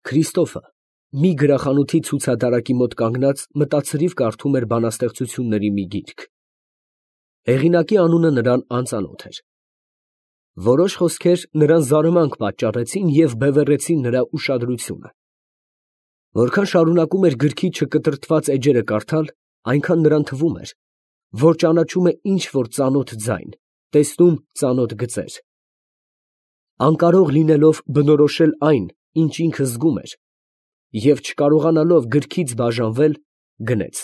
Քրիստոֆը մի գրախանութի ցուցատարակի մոտ կանգնած մտածրիվ կարդում էր բանաստեղծությունների մի գիրք։ Հեղինակի անունը նրան անծանոթ էր։ Որոշ խոսքեր նրան զարմանք պատճառեցին և բևեռեցին նրա ուշադրությունը։ Որքան շարունակում էր գրքի չկտրտված էջերը կարդալ, այնքան նրան թվում էր, որ ճանաչում է ինչ-որ ծանոթ ձայն, տեսնում ծանոթ գծեր։ Անկարող լինելով բնորոշել այն, ինչ ինքը զգում էր, և չկարողանալով գրքից բաժանվել, գնեց։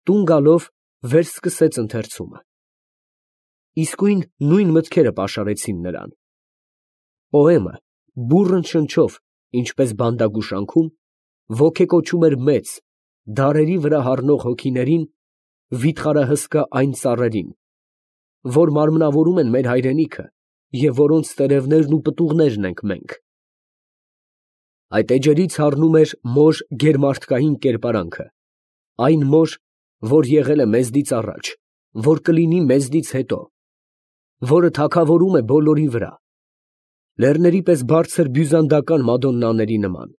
Տուն գալով վերսկսեց ընթերցումը։ Իսկույն նույն մտքերը պաշարեցին նրան։ Պոեմը բուռն շնչով, ինչպես բանտագուշանքում, ոգեկոչում էր մեծ, դարերի վրա հառնող հոգիներին, վիթխարահսկա այն ծառերին, որ մարմնավորում են մեր հայրենիքը և որոնց տերևներն ու պտուղներն ենք մենք։ Այդ էջերից հառնում էր մոր գերմարդկային կերպարանքը, այն մոր, որ եղել է մեզնից առաջ, որ կլինի մեզնից հետո, որը թագավորում է բոլորի վրա, լեռների պես բարձր բյուզանդական մադոննաների նման,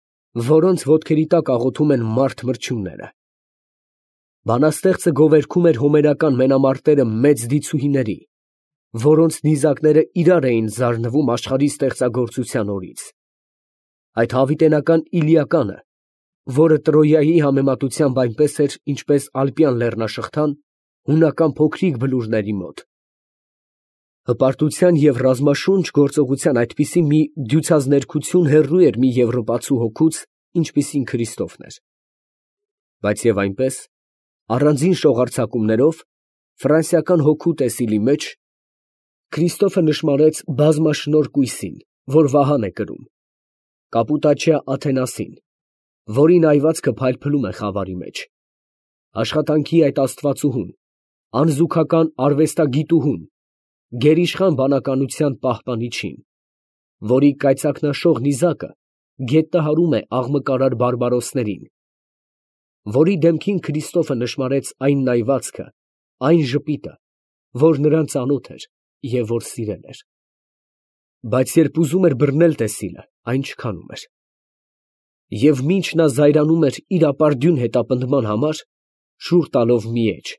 որոնց ոտքերի տակ աղոթում են մարդ մրջյունները։ Բանաստեղծը գովերգում էր հոմերական մենամարտերը մեծ դիցուհիների, որոնց նիզակները իրար էին զարնվում աշխարհի ստեղծագործության օրից։ Այդ հավիտենական Իլիականը, որը Տրոյայի համեմատությամբ այնպես էր, ինչպես ալպյան լեռնաշղթան, հունական փոքրիկ բլուրների մոտ։ Հպարտության և ռազմաշունչ գործողության այդպիսի մի դյուցազներգություն հեռու էր մի եվրոպացու հոգուց, ինչպիսին Քրիստոֆն էր։ Բայց և այնպես, առանձին շողառցակումներով, ֆրանսիական հոգու տեսիլի մեջ, Քրիստոֆը նշմարեց բազմաշնորհ կույսին, որ Վահան է կրում, Կապուտաչյա Աթենասին, որի նայվածքը փայլփլում է խավարի մեջ, աշխատանքի այդ աստվածուհուն, անզուգական արվեստագիտուհուն, գերիշխան բանականության պահպանիչին, որի կայծակնաշող նիզակը գետնահարում է աղմկարար բարբարոսներին, որի դեմքին Քրիստոֆը նշմարեց այն նայվածքը, այն ժպիտը, որ նրան ծանոթ էր և որ սիրել էր։ Բայց երբ ուզում էր բռնել տեսիլը, այն չքանում էր։ Եվ մինչ նա զայրանում էր իր ապարդյուն հետապնդման համար, շուռ տալով մի էջ,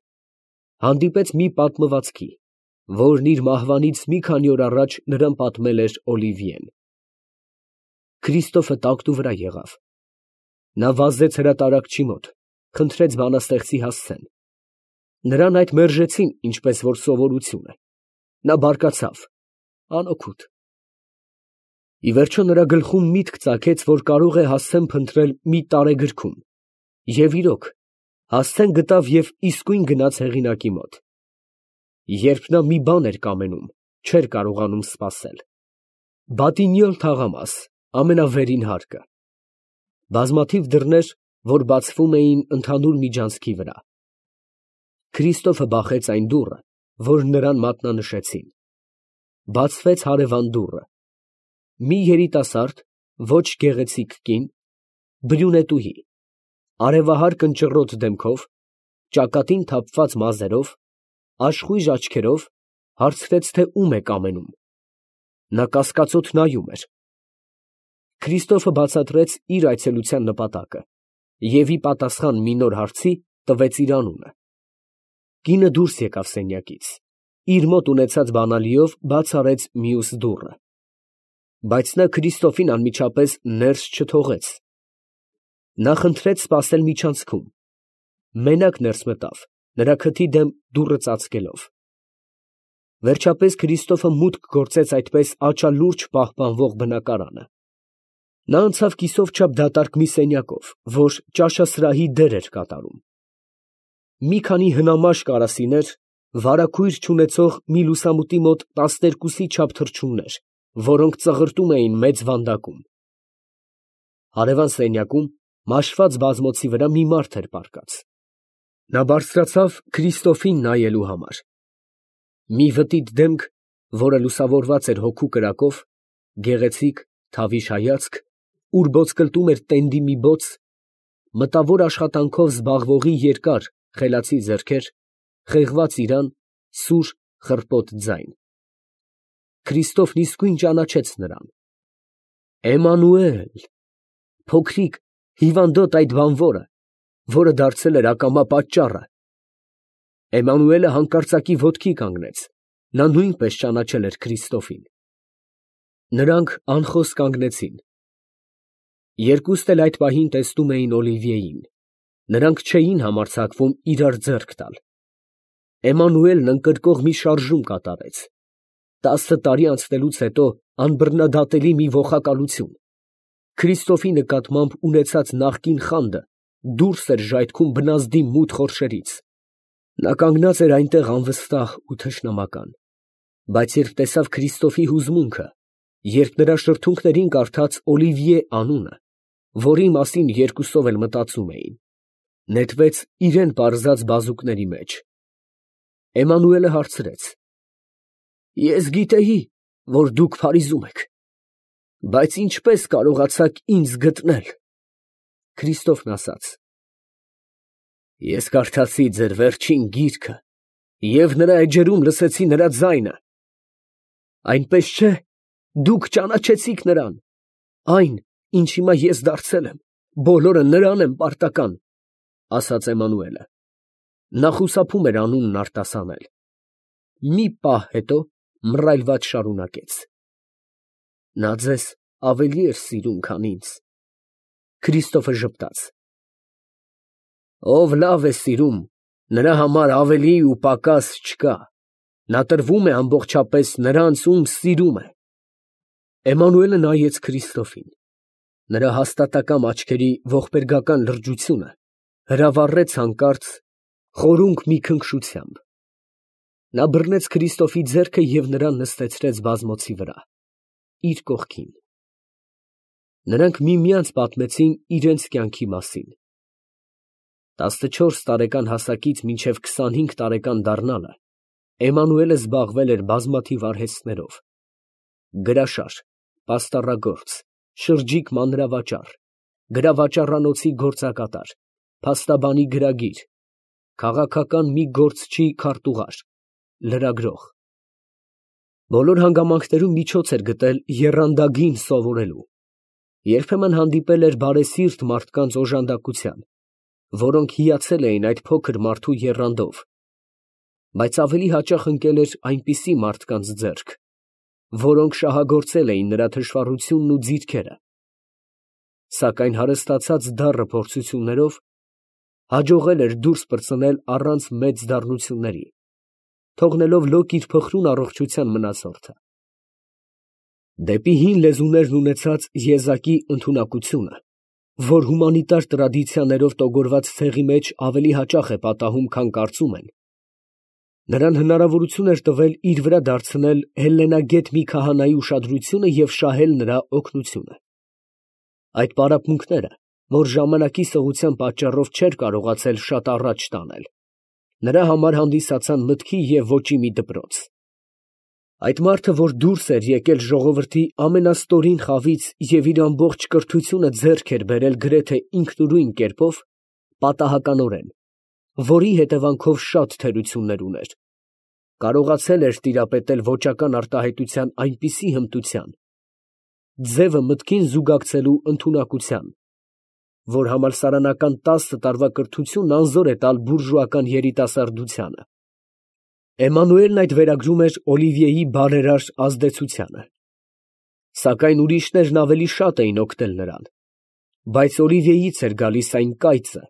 հանդիպեց մի պատմվածքի, որն իր մահվանից մի քանի օր առաջ նրան պատմել էր Օլիվիեն։ Քրիստոֆը տակտու վրա եղավ։ Նա վազեց հրատարակչի մոտ, խնդրեց բանաստեղծի հասցեն։ Նրան այդ մերժեցին, ինչպես որ սովորություն է։ Նա բարկացավ, անօգուտ։ Ի վերջո նրա գլխում միտք ծագեց, որ կարող է հասցեն փնտրել մի տարեգրքում, և իրոք, հասցեն գտավ և իսկույն գնաց հեղինակի մոտ։ Երբ նա մի բան էր կամենում, չէր կարողանում սպասել։ Բատինյոլ թաղամաս, ամենավերին հարկը։ Բազմաթիվ դռներ, որ բացվում էին ընդհանուր միջանցքի վրա։ Քրիստոֆը բախեց այն դուռը, որ նրան մատնանշեցին։ Բացվեց հարևան դուռը։ Մի երիտասարդ, ոչ գեղեցիկ կին, բրյունետուհի, արևահար կնճռոտ դեմքով, ճակատին թափված մազերով, աշխույժ աչքերով, հարցրեց, թե ում է կամենում։ Նա կասկածոտ նայում էր։ Քրիստոֆը բացատրեց իր այցելության նպատակը և ի պատասխան մի նոր հարցի տվեց իր անունը։ Կինը դուրս եկավ սենյակից, իր մոտ ունեցած բանալիով բաց արեց մյուս դուռը։ Բայց նա Քրիստոֆին անմիջապես ներս չթողեց։ Նա խնդրեց սպասել միջանցքում։ Մենակ ներս մտավ, նրա քթի դեմ դուռը ծածկելով։ Վերջապես Քրիստոֆը մուտք գործեց այդպես աչալուրջ պահպանվող բնակարանը։ Նա անցավ կիսով չափ դատարկ մի սենյակով, որ ճաշասրահի դեր էր կատարում։ Մի քանի հնամաշ կարասիներ, վարագույր չունեցող մի լուսամուտի մոտ 12-ի չափ թռչուններ, որոնք ծղրտում էին մեծ վանդակում։ Հարևան սենյակում մաշված բազմոցի վրա մի մարդ էր պառկած։ Նա բարձրացավ Քրիստոֆին նայելու համար։ Մի վտիտ դեմք, որը լուսավորված էր հոգու կրակով, գեղեցիկ, թավիշ հայացք, ուր ոսկլտում էր տենդի մի բոց, մտավոր աշխատանքով զբաղվողի երկար, խելացի ձեռքեր, խեղված իրան, սուր, խռպոտ ձայն։ Քրիստոֆն իսկույն ճանաչեց նրան։ Էմմանուել, փոքրիկ, հիվանդոտ այդ բանվորը, որը դարձել էր ակամա պատճառը։ Էմանուելը հանկարծակի ոտքի կանգնեց. նա նույնպես ճանաչել էր Քրիստոֆին։ Նրանք անխոս կանգնեցին։ Երկուստ էլ այդ պահին տեսնում էին Օլիվիեին. նրանք չէին համարձակվում իրար ձեռք տալ։ Էմանուելն ընկրկող մի շարժում կատարեց։ 10 տարի անցնելուց հետո անբռնադատելի մի ոխակալություն։ Քրիստոֆի նկատմամբ ունեցած նախկին խանդը դուրս էր ժայթքում բնազդի մութ խորշերից։ Նա կանգնած էր այնտեղ անվստահ ու թշնամական, բայց երբ տեսավ Քրիստոֆի հուզմունքը, երբ նրա շրթունքներին կարդաց Օլիվիե անունը, որի մասին երկուսով էլ մտածում էին, նետվեց իրան պարզած բազուկների մեջ։ Էմանուելը հարցրեց. Ես գիտեի, որ դուք Փարիզում եք, բայց ինչպես կարողացաք ինձ գտնել։ Քրիստոֆն ասաց. Ես կարդացի ձեր վերջին գիրքը և նրա էջերում լսեցի նրա ձայնը։ Այնպես չէ, դուք ճանաչեցիք նրան, այն, ինչ հիմա ես դարձել եմ, բոլորը նրան եմ պարտական, ասաց Էմանուելը։ Նա խուսափում էր անունն արտասանել։ Մի պահ հետո մռայլված շարունակեց. նա ձեզ ավելի էր սիրում, քան ինձ։ Քրիստոֆը ժպտաց. ով լավ է սիրում, նրա համար ավելի ու պակաս չկա, նա տրվում է ամբողջապես նրանց, ում սիրում է։ Էմանուելը նայեց Քրիստոֆին։ Նրա հաստատակամ աչքերի ողբերգական լրջությունը հրավառեց հանկարծ խորունկ մի քնքշությամբ։ Նա բռնեց Քրիստոֆի ձեռքը և նրան նստեցրեց բազմոցի վրա, իր կողքին։ Նրանք միմյանց պատմեցին իրենց կյանքի մասին։ 14 տարեկան հասակից մինչև 25 տարեկան դառնալը Էմանուելը զբաղվել էր բազմաթիվ արհեստներով. գրաշար, պաստառագործ, շրջիկ մանրավաճառ, գրավաճառանոցի գործակատար, փաստաբանի գրագիր, քաղաքական մի գործչի քարտուղար, լրագրող։ Բոլոր հանգամանքներում միջոց էր գտել եռանդագին սովորելու։ Երբեմն հանդիպել էր բարեսիրտ մարդկանց օժանդակության, որոնք հիացել էին այդ փոքր մարդու եռանդով, բայց ավելի հաճախ ընկել էր այնպիսի մարդկանց ձեռք, որոնք շահագործել էին նրա թշվառությունն ու ձիթքերը, սակայն հարստացած դառը փորձություններով հաջողել էր դուրս պրծնել առանց մեծ դառնությունների, թողնելով լոկ իր փխրուն առողջության մնացորդը։ Դեպի հին լեզուներն ունեցած եզակի ընդունակությունը, որ հումանիտար տրադիցիաներով տոգորված ցեղի մեջ ավելի հաճախ է պատահում, քան կարծում են, նրան հնարավորություն էր տվել իր վրա դարձնել հելլենագետ մի քահանայի ուշադրությունը և շահել նրա օգնությունը։ Այդ պարապմունքները, որ ժամանակի սղության պատճառով չէր կարողացել շատ առաջ տանել, նրա համար հանդիսացան մտքի և ոճի մի դպրոց։ Այդ մարդը, որ դուրս էր եկել ժողովրդի ամենաստորին խավից և իր ամբողջ կրթությունը ձեռք էր բերել գրեթե ինքնուրույն կերպով, պատահականորեն, որի հետևանքով շատ թերություններ ուներ, կարողացել էր տիրապետել ոճական արտահայտության այնպիսի հմտության, ձևը մտքին զուգակցելու ընդունակության, որ համալսարանական 10 տարվա կրթությունն անզոր է տալ բուրժուական երիտասարդությանը։ Էմանուելն այդ վերագրում էր Օլիվիեի բարերար ազդեցությանը։ Սակայն ուրիշներն ավելի շատ էին օգնել նրան, բայց Օլիվիեից էր գալիս այն կայծը,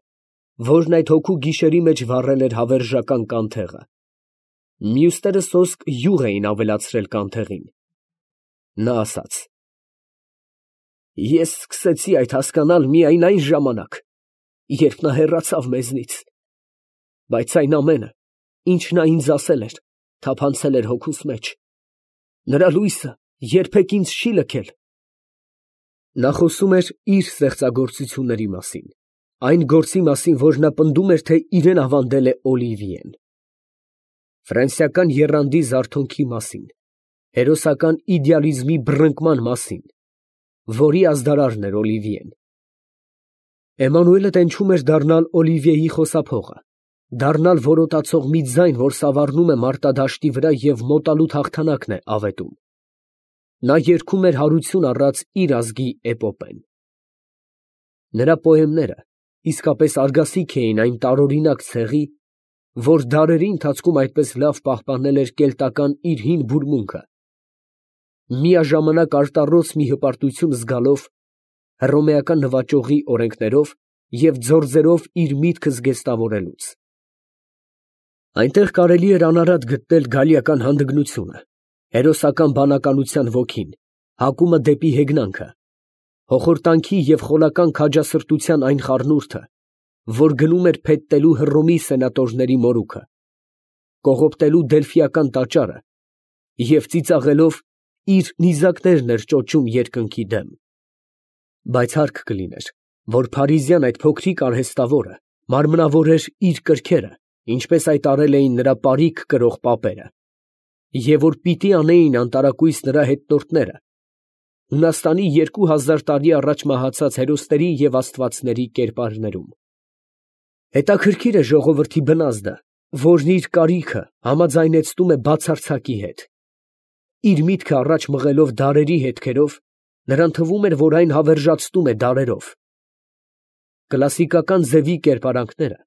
որն այդ հոգու գիշերի մեջ վառել էր հավերժական կանթեղը։ Մյուսները սոսկ յուղ էին ավելացրել կանթեղին։ Նա ասաց. ես սկսեցի այդ հասկանալ միայն այն ժամանակ, երբ նա հեռացավ մեզնից, բայց այն ամենը, ինչ նա ինձ ասել էր, թափանցել էր հոգուս մեջ։ Նրա լույսը երբեք ինձ չի լքել։ Նա խոսում էր իր ստեղծագործությունների մասին, այն գործի մասին, որ նա պնդում էր, թե իրեն ավանդել է Օլիվիեն։ Ֆրանսիական եռանդի զարթոնքի մասին, հերոսական իդեալիզմի բռնկման մասին, որի ազդարարն էր Օլիվիեն։ Էմանուելը տենչում էր դառնալ Օլիվիեի խոսափողը, դառնալ որոտացող մի ձայն, որ սավառնում է մարտադաշտի վրա և մոտալուտ հաղթանակն է ավետում։ Նա երգում էր հարություն առած իր ազգի էպոպեն։ Նրա պոեմները իսկապես արգասիք էին այն տարօրինակ ցեղի, որ դարերի ընթացքում այդպես լավ պահպանել էր կելտական իր հին բուրմունքը, միաժամանակ արտառոց մի հպարտություն զգալով հռոմեական նվաճողի օրենքներով և ձորձերով իր միտքը զգեստավորելուց։ Այնտեղ կարելի էր անարատ գտնել գալիական հանդգնությունը, հերոսական բանականության ոգին, հակումը դեպի հեգնանքը, հոխորտանքի և խոլական քաջասրտության այն խառնուրդը, որ գնում էր փետտելու Հռոմի սենատորների մորուքը, կողոպտելու Դելֆիական տաճարը և ծիծաղելով իր նիզակներն էր ճոճում երկնքի դեմ։ Բայց հարկ կլիներ, որ փարիզյան այդ փոքրիկ արհեստավորը մարմնավորեր իր կրքերը, ինչպես այդ արել էին նրա պարիք կրող պապերը, և որ պիտի անեին անտարակույս նրա հետնորդները Հունաստանի 2000 տարի առաջ մահացած հերոսների և աստվածների կերպարներում։ Հետաքրքիր է ժողովրդի բնազդը, որն իր կարիքը համաձայնեցնում է բացարձակի հետ։ Իր միտքը առաջ մղելով դարերի հետքերով, նրան թվում էր, որ այն հավերժացնում է դարերով։ Կլասիկական ձևի կերպարանքները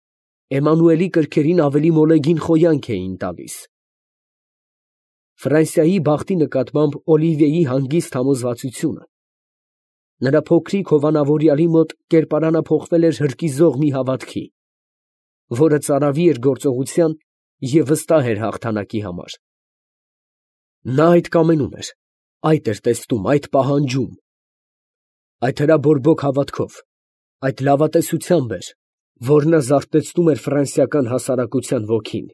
Էմանուելի կրքերին ավելի մոլեգին խոյանք էին տալիս։ Ֆրանսիայի բախտի նկատմամբ Օլիվիեի հանգիստ համոզվածությունը նրա փոքրիկ հովանավորյալի մոտ կերպարանափոխվել էր հրկիզող մի հավատքի, որը ծարավի էր գործողության և վստահ էր հաղթանակի համար։ Նա այդ կամենում էր, այդ էր տեսնում, այդ պահանջում։ Այդ հրաբորբոք հավատքով, այդ լավատեսությամբ էր, որ նա զարթեցնում էր ֆրանսիական հասարակության ոգին։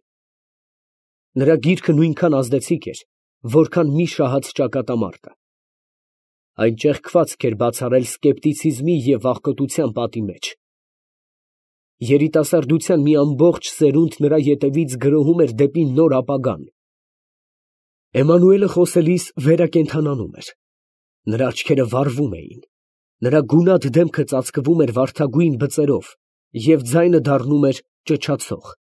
Նրա գիրքը նույնքան ազդեցիկ էր, որքան մի շահած ճակատամարտը։ Այն ճեղքվածք էր բացառել սկեպտիցիզմի և վախկոտության պատի մեջ։ Երիտասարդության մի ամբողջ սերունդ նրա ետևից գրոհում էր դեպի նոր ապագան։ Էմանուելը խոսելիս վերակենդանանում էր։ Նրա աչքերը վառվում էին, նրա գունատ դեմքը ծածկվում էր վարդագույն բծերով և ձայնը դառնում էր ճչացող։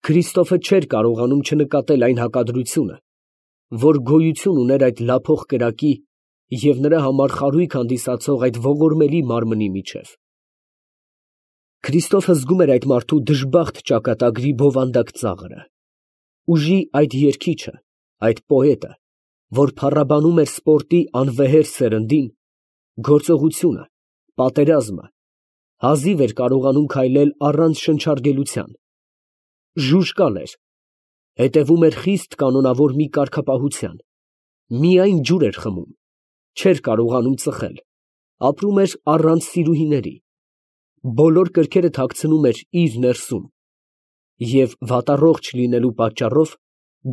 Քրիստոֆը չէր կարողանում չնկատել այն հակադրությունը, որ գոյություն ուներ այդ լափող կրակի և նրա համար խարույկ հանդիսացող այդ ողորմելի մարմնի միջև։ Քրիստոֆը զգում էր այդ մարդու դժբախտ ճակատագրի բովանդակ ծաղրը, ուժի այդ երգիչը, այդ պոետը, որ փառաբանում էր սպորտի անվեհեր սերնդին, գործողությունը, պատերազմը, հազիվ էր կարողանում քայլել առանց շնչառգելության, ժուժկալ էր, հետևում էր խիստ կանոնավոր մի կարգապահության, միայն ջուր էր խմում, չէր կարողանում ծխել, ապրում էր առանց սիրուհիների, բոլոր կրքերը թաքցնում էր իր ներսում և վատառողջ լինելու պատճառով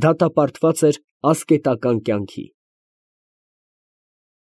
դատապարտված էր ասկետական կյանքի։